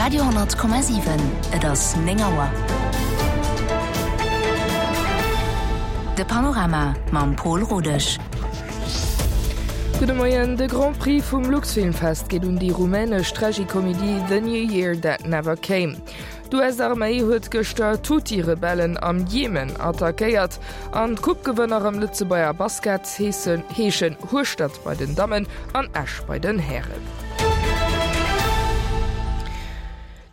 Radio 10,7 Et ass 9 Auer. De Panorama mam Pol Rodesch. Gudde Moien, De Grand Prix vum Luxfilmfest geet un déi rumänesch Tragikomedie The New Year That Never Came. D'US-Arméi huet gëschter d'Huthi-Rebellen am Jemen attackéiert an d'Coupe-Gewënner am Lëtzebuerger Basket heeschen Hueschtert bei den Dammen an Esch bei den Hären.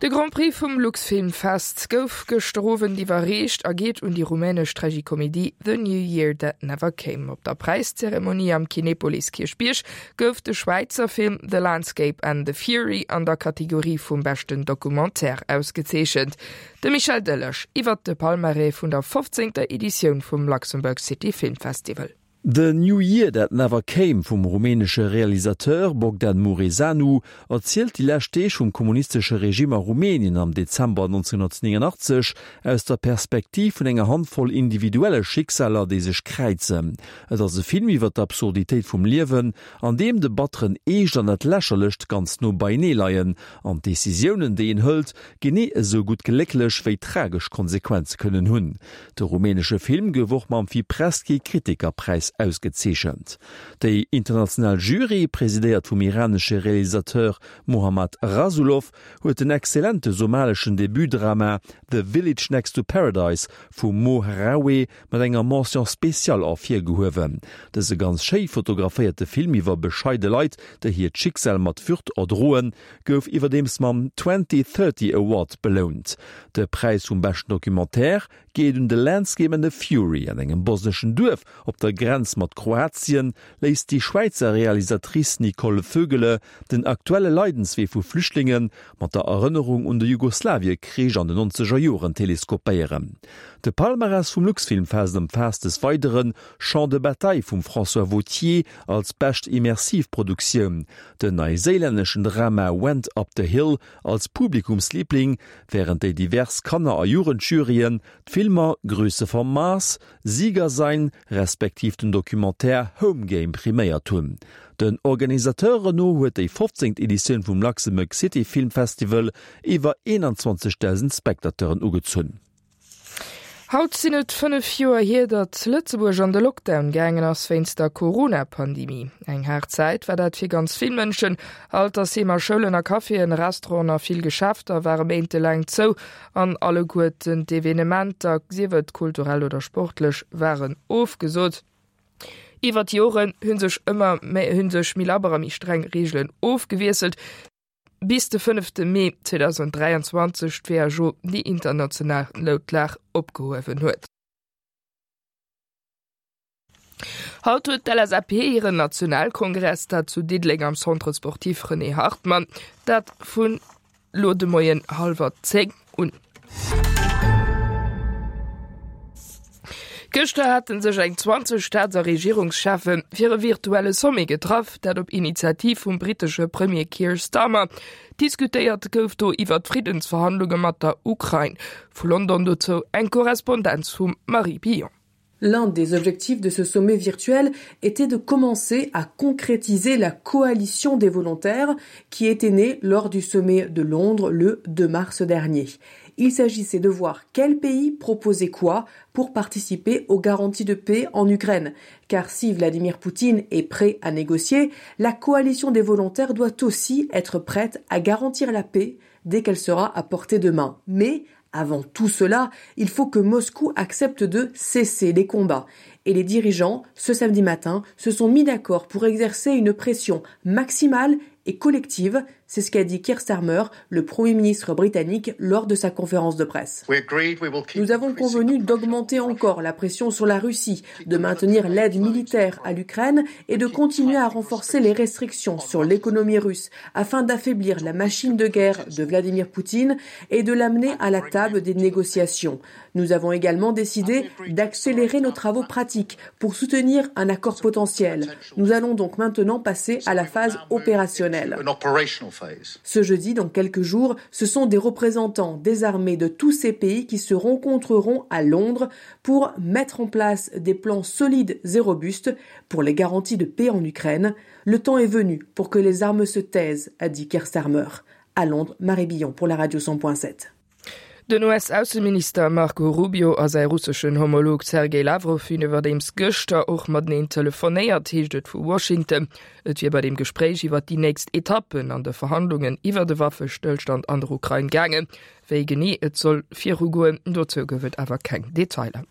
De Grand Prix vum Luxfilmfest gouf gëschter Owend iwwerreecht a geet un déi rumänesch Tragikomedie The New Year That Never Came. Op der Präiszeremonie am Kinepolis Kierchbierg gouf de Schwäizer Film The Landscape and the Fury an der Kategorie vum beschten Documentaire ausgezeechent. De Michel Delage iwwert de Palmarès vun der 15. Editioun vum Luxembourg City Film Festival. The New Year That Never Came vum rumänesche Realisateur Bogdan Muresanu erzielt déi lescht Deeg vum kommunistesche Regime a Rumänien am Dezember 1989 aus der Perspektiv vun enger Handvoll individuelle Schicksaler, déi sech kräizen. Et ass e Film iwwer d'Absurditéit vum Liewen, an deem de batteren Eescht an dat Lächerlecht ganz no beienee leien an d'Decisiounen, déi een hëlt, genee esou gutt glécklech wéi tragesch Konsequenze kënnen hunn. De rumänesche Film gouf och mam Fipresci-Kritikerpräis ausgezeechent. Déi international Jury, presidéiert vum iranesche Realisateur Mohammad Rasoulof, huet den exzellente somaleschen Debutdrama The Village Next to Paradise vum Mo Harawe mat enger Mention spéciale ervirgehuewen. Dëse ganz schéi fotograféierte Film iwwer bescheide Leit, déi hiert Schicksal mat Würd erdroen, gouf iwwerdeems mam Twenty Thirty Award belount. De Präis vum beschten Documentaire geet un The Landscape and the Fury. An engem bosneschen Duerf op der Grenz mat Kroatien léisst déi Schwäizer Realisatrice Nicole Vögele den aktuelle Leidenswee vu Flüchtlinge mat der Erënnerung un de Jugoslawiekrich an den nonzeger Joren teleskopéieren. De Palmarès vum Luxfilmfest ëmfaasst des Weidere Champ de bataille vum François Vauthier als bescht immersiv Produktioun, den neiséilänneschen Drama Went Up the Hill als Publikumsliebling, wärend déi divers Kanner a Jugendjuryen d'Filmer Grüße vom Mars, Sieger sein respektiv den Documentaire Home Game priméiert hunn. Den Organisateuren no huet déi 15. Editioun vum Luxembourg City Film Festival iwwer 21.000 Spectateuren ugezunn. Haut sinn et 5 Joer hier, datt Lëtzebuerg an de Lockdown gaangen ass wéinst der Corona-Pandemie. Eng haart Zäit war dat fir ganz vill Mënschen. Altersheemer, Schoulen a Caféen, Restauranten a vill Geschäfter ware méintelaang zou an alleguerten d'Evenementer, sief et kulturell oder sportlech, waren ofgesot. Iwwer d'Joren hu sech ëmmer méi hu sech méi labber a méi streng Reegelen ofgewiesselt, bis de fënnefte Mee 2023 d'WHO déi international Noutlag opgehuewen huet. Haut huet d'LSAP hiren Nationalkongress, dat zu Diddeleng am Centre Sportif René Hartmann, dat vun lo de Moien hallwer 10 un. Gëschter hate sech eng 20 Staats a Regierungscheffe fir e virtuelle Sommet getraff, dat op Initiativ vum brittesche Premier Keir Starmer. Diskutéiert gouf do iwwer d'Friddensverhandlunge mat der Ukrain. Vu London dozou eng Korrespondenz vum Marie Billon. L'un des objectifs de ce sommet virtuel était de commencer à concrétiser la coalition des volontaires qui était née lors du sommet de Londres le 2 mars dernier. Il s'agissait de voir quel pays proposait quoi pour participer aux garanties de paix en Ukraine. Car si Vladimir Poutine est prêt à négocier, la coalition des volontaires doit aussi être prête à garantir la paix dès qu'elle sera à portée de main. Mais avant tout cela, il faut que Moscou accepte de cesser les combats. Et les dirigeants, ce samedi matin, se sont mis d'accord pour exercer une pression maximale et collective. C'est ce qu'a dit Keir Starmer, le premier ministre britannique, lors de sa conférence de presse. Nous avons convenu d'augmenter encore la pression sur la Russie, de maintenir l'aide militaire à l'Ukraine et de continuer à renforcer les restrictions sur l'économie russe afin d'affaiblir la machine de guerre de Vladimir Poutine et de l'amener à la table des négociations. Nous avons également décidé d'accélérer nos travaux pratiques pour soutenir un accord potentiel. Nous allons donc maintenant passer à la phase opérationnelle. Ce jeudi, dans quelques jours, ce sont des représentants des armées de tous ces pays qui se rencontreront à Londres pour mettre en place des plans solides et robustes pour les garanties de paix en Ukraine. Le temps est venu pour que les armes se taisent, a dit Keir Starmer. À Londres, Marie Billon pour la radio 100.7. Den US-Ausseminister Marco Rubio a säi russeschen Homolog Sergej Lawrow hunn iwwerdeems gëschter och mateneen telefonéiert, heescht et vu Washington. Et wier bei deem Gespréich iwwer déi nächst Etappen an de Verhandlungen iwwer e Waffestëllstand an der Ukrain gaangen. Wéi genee et soll virugoen, dozou gouf et awer keng Detailer.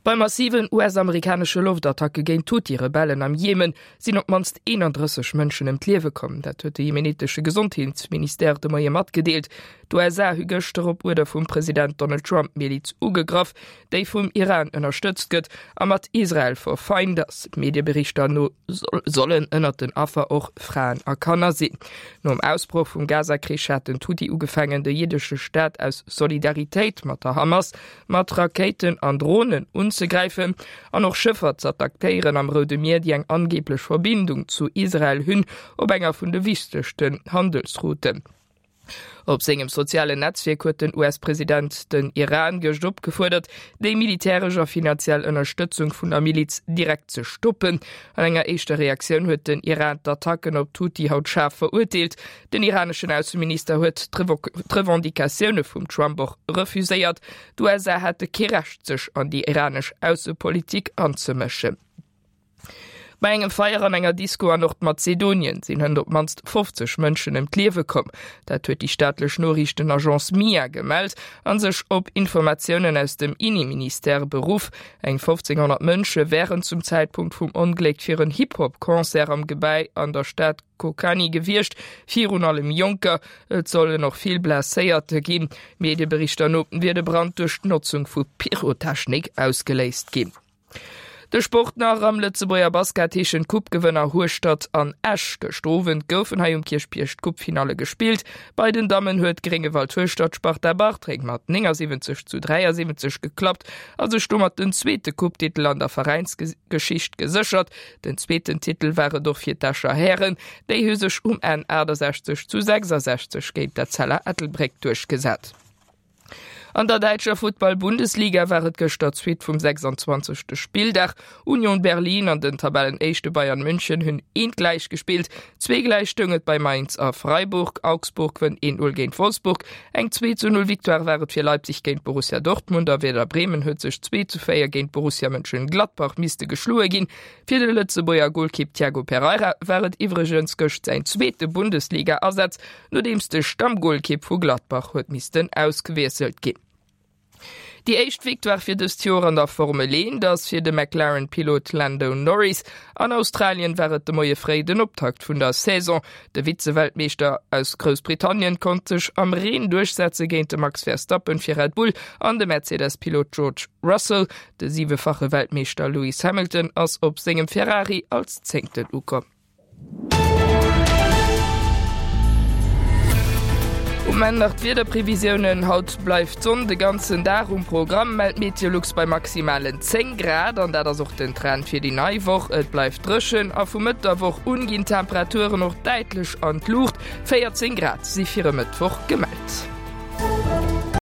Bei massiven US-amerikanesche Loftattacke géint d'Huthi-Rebellen am Jemen sinn op d'mannst 31 Mënschen ëm d'Liewe komm. Dat huet de jemenitesche Gesondheetsministère de Moie matgedeelt. D'USA hu gëschter op Uerder vum President Donald Trump d'Miliz ugegraff, déi vum Iran ënnerstëtzt gëtt a mat Israel verfeint ass. Medieberichter no sollen ënnert den Affer och Fraen a Kanner sinn. Nom Ausbroch vum Gaza-Krich haten d'Huthi ugefaangen, de jiddesche Staat aus Solidaritéit mat der Hamas mat Rakéiten an Dronen unzegräifen an och Schëffer z'attackéieren am Roude Mier, déi eng angeeblech Verbindung zu Israel hunn, op enger vun de wichtegsten Handelsrouten. Op sengem sozialen Netzwierk huet den US-President den Iran gëscht opgefuerdert, déi militäresch a finanziell Ënnerstëtzung vun der Miliz direkt ze stoppen. An enger éischter Reaktioun huet den Iran d'Attacken op d'Huthi haut schaarf verurteelt. Den iraneschen Ausseminister huet d'Revendicatioune vum Trump och refuséiert. D'USA hätte kee Recht sech an déi iranesch Aussepolitik anzemëschen. Bei engem Feier an enger Disco an Nordmazedonien sinn hënt op d'mannst 50 Mënschen ëm d'Liewe komm. Dat huet déi staatlech Noriichtenagence MIA gemellt a sech op Informatiounen aus dem Inneministère beruff. Eng 1.500 Mënsche wären zum Zäitpunkt vum Ongléck fir en Hip-Hop-Concert am Gebäi an der Stad Kocani gewiescht, virun allem Jonker. Et sollen och vill Blesséierte ginn. Medieberichter no wier de Brand duerch d'Notzung vu Pyrotechnik ausgeléist ginn. De Sport nach, Am Lëtzebuerger Basket heeschen d'Coupe-Gewënner Hueschtert an Esch. Gëschter Owend goufen hei um Kierchbierg d'Coupe-Finalle gespillt. Bei den Dammen huet Gréngewald Hueschtert d'Sparta Bartreng mat 79 zu 73 geklappt a sech domat den zweete Coupe-Titel an der Veräinsgeschicht geséchert. Den zweeten Titel war et och fir d'Escher Hären, déi hu sech um Enn 68 zu 66 géint d'Etzella Ettelbréck duerchgesat. An der däitscher Futtball-Bundesliga war et gëschter d'Suite vum 26. Spilldag. Union Berlin an den Tabellenéischte Bayern München hunn eent gläich gespillt. Zweegläich stoung et bei Mainz a Freiburg. Augsburg wënnt 1, 0 géint Wolfsburg. Eng 2 zu 0 Victoire war et fir Leipzig géint Borussia Dortmund a Werder Bremen huet sech 2 zu 4 géint Borussia Mönchengladbach misste geschloe ginn. Fir de Lëtzebuerger Golkipp Tiago Pereira war et iwwregens gëscht säin zweete Bundesliga-Asaz, nodeems de Stammgolkipp vu Gladbach huet missten ausgewiesselt ginn. Déi éischt Victoire fir dëst Joer an der Formel 1 ass fir de McLaren-Pilot Lando Norris. An Australien war et de Moie fréi den Optakt vun der Saison. De Vize-Weltmeeschter aus Groussbritannien konnt sech am Reen duerchsetze géint de Max Verstappen fir Red Bull an de Mercedes-Pilot George Russell. De siwefache Weltmeeschter Lewis Hamilton ass op sengem Ferrari als Zéngten ukomm. Um Enn nach d'Wiederprevisiounen, Haut bleift d'Sonn de ganzen Dag um Programm, mellt Meteolux bei maximalen 10 Grad. An dat ass och den Trend fir déi nei Woch. Et bleift dréchen a vu Mëtt der Woch un ginn d'Temperaturen och däitlech an d'Luucht. 14 Grad si fir e Mëttwoch gemellt.